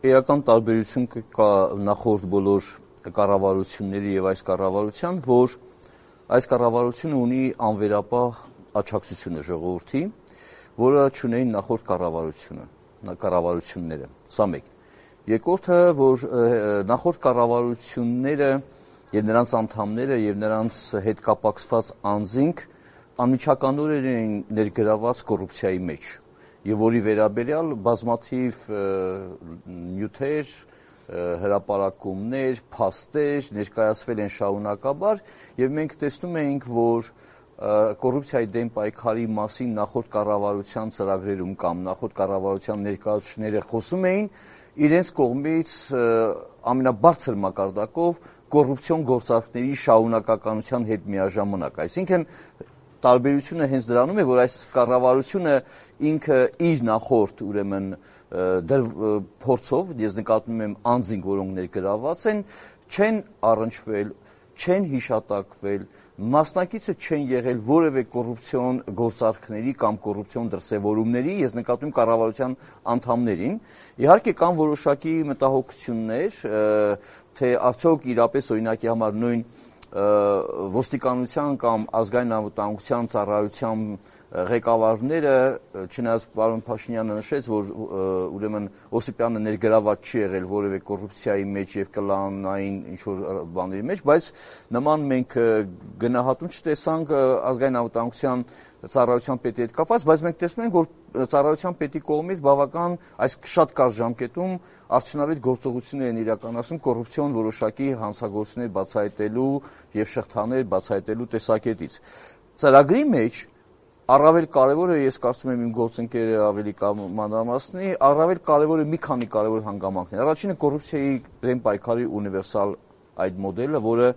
էական տարբերություն կա նախորդ բոլոր կառավարությունների եւ այս կառավարության, որ այս կառավարությունը ունի անվերապահ աջակցությունը ժողովրդի, որը չունեին նախորդ կառավարությունները։ Սա մեկ։ Երկրորդը, որ նախորդ կառավարությունները եւ նրանց անդամները եւ նրանց հետ կապակցված անձինք անմիջականորեն էին ներգրաված կոռուպցիայի մեջ եւ որի վերաբերյալ բազմաթիվ նյութեր, հրապարակումներ, փաստեր ներկայացվել են շարունակաբար եւ մենք տեսնում էինք, որ կոռուպցիայի դեմ պայքարի մասին նախորդ կառավարության ծրագրերում կամ նախորդ կառավարության ներկայացուցիչները խոսում էին իրենց կողմից ամենաբարձր մակարդակով կոռուպցիոն գործարքների շարունակականության հետ միաժամանակ։ Այսինքն տարբերությունը հենց դրանում է, որ այս կառավարությունը ինքը իր նախորդ ուրեմն փորձով, ես նկատում եմ անձինք, որոնք ներգրաված են, չեն առնչվել, չեն հիշատակվել, մասնակիցը չեն եղել որևէ կոռուպցիոն գործարքների կամ կոռուպցիոն դրսևորումների, ես նկատում եմ կառավարության անդամներին։ Իհարկե կան որոշակի մտահոգություններ, թե արդյոք իրապես օրինակի համար նույն ոստիկանության կամ ազգային անվտանգության ծառայության ղեկավարները, չնայած պարոն Փաշինյանը նշեց, որ ուրեմն Օսիպյանը ներգրաված չի եղել որևէ կոռուպցիայի մեջ եւ կլանային ինչ-որ բաների մեջ, բայց նման մենք գնահատում չտեսանք ազգային անվտանգության ծառայության պետի հետ կապված, բայց մենք տեսնում ենք, որ ծառայության պետի կողմից բավական այս շատ կարճ ժամկետում արդյունավետ գործողություններ են իրականացում կոռուպցիոն որոշակի հանցագործություններ բացահայտելու եւ շղթաներ բացահայտելու տեսակետից։ Ծրագրի մեջ առավել կարևորը, ես կարծում եմ իմ գործընկերը ավելի մանրամասնի, առավել կարևորը մի քանի կարևոր հանգամանքներ։ Առաջինը կոռուպցիայի դեմ պայքարի ունիվերսալ այդ մոդելը, որը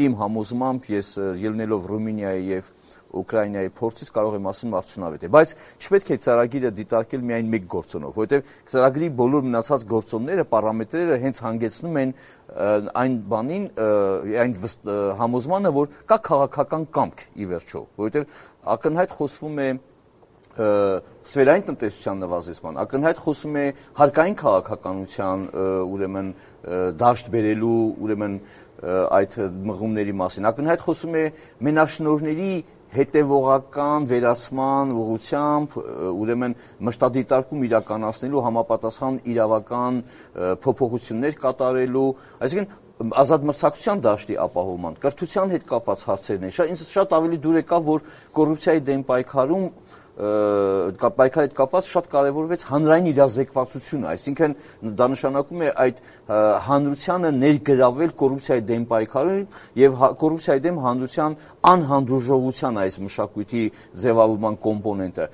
իմ համոզմամբ ես ելնելով Ռումինիայի եւ Ուկրաինայի փորձից կարող եմ ասում արդյունավետ է, բայց չպետք է ծրագիրը դիտարկել միայն մեկ գործոնով, որովհետեւ ծրագրի բոլոր մնացած գործոնները, պարամետրերը հենց հանգեցնում են այն բանին, այն համոզմանը, որ կա քաղաքական կամք ի վերջո, որովհետեւ ակնհայտ խոսվում է սֆերային տնտեսության նվազեցման, ակնհայտ խոսում է հարկային քաղաքականության ուրեմն դաշտ բերելու ուրեմն այդ մղումների մասին, ակնհայտ խոսում է մենաշնորհների հետևողական վերացման ուղղությամբ ուրեմն մշտադիտարկում իրականացնելու համապատասխան իրավական փոփոխություններ կատարելու, այսինքն ազատ մրցակցության դաշտի ապահովման, կրթության հետ կապված հարցերն են։ Ինձ շատ ավելի դուր եկավ, որ կոռուպցիայի դեմ պայքարում պայքարի հետ կապված շատ կարևորվեց հանրային իրազեկվածությունը, այսինքն դա նշանակում է այդ հանրությանը ներգրավել կոռուպցիայի դեմ պայքարում եւ կոռուպցիայի դեմ հանրության անհանդուրժողության այս մշակույթի ձևավորման կոմպոնենտը։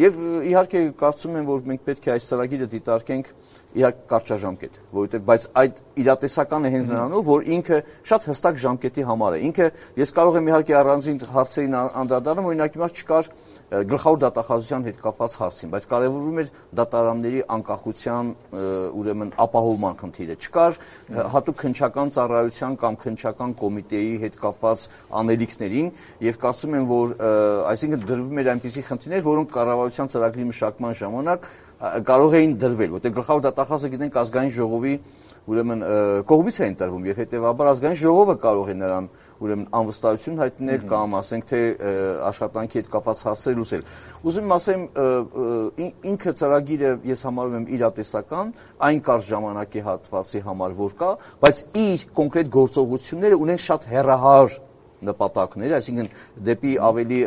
Եվ իհարկե կարծում եմ, որ մենք պետք է այս ծրագիրը դիտարկենք իհարկե կարճաժամկետ, որովհետև բայց այդ իրատեսականը հենց նրանով, որ ինքը շատ հստակ ժամկետի համար է։ Ինքը ես կարող եմ իհարկե առանձին հարցերին անդրադառնալ, օրինակ հիմա չկար գլխավոր դատախազության հետ կապված հարցին, բայց կարևորում էր դատարանների անկախության ուրեմն ապահովման խնդիրը, չկար հատուկ քննչական ծառայության կամ քննչական կոմիտեի հետ կապված անելիքներին եւ կարծում եմ, որ այսինքն դրվում էր այնպիսի խնդիրներ, որոնք կառավարության ծրագրի մշակման ժամանակ կարող էին դրվել, որտեղ գլխավոր դատախազը գիտենք ազգային ժողովի ուրեմն կողմից է ընտրվում եւ հետեւաբար ազգային ժողովը կարող է նրան ուրեմն անվստահություն հայտնել կամ ասենք թե աշխատանքի հետ կապված հարցեր լուծել։ Ուզում եմ ասեմ, ինքը ծրագիրը ես համարում եմ իրատեսական, այն կարճ ժամանակի հատվածի համար որ կա, բայց իր կոնկրետ գործողությունները ունեն շատ հեռահար նպատակներ, այսինքն դեպի ավելի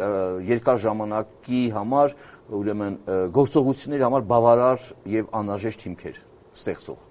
երկար ժամանակի համար ուրեմն գործողությունների համար բավարար եւ անհրաժեշտ հիմքեր ստեղծող։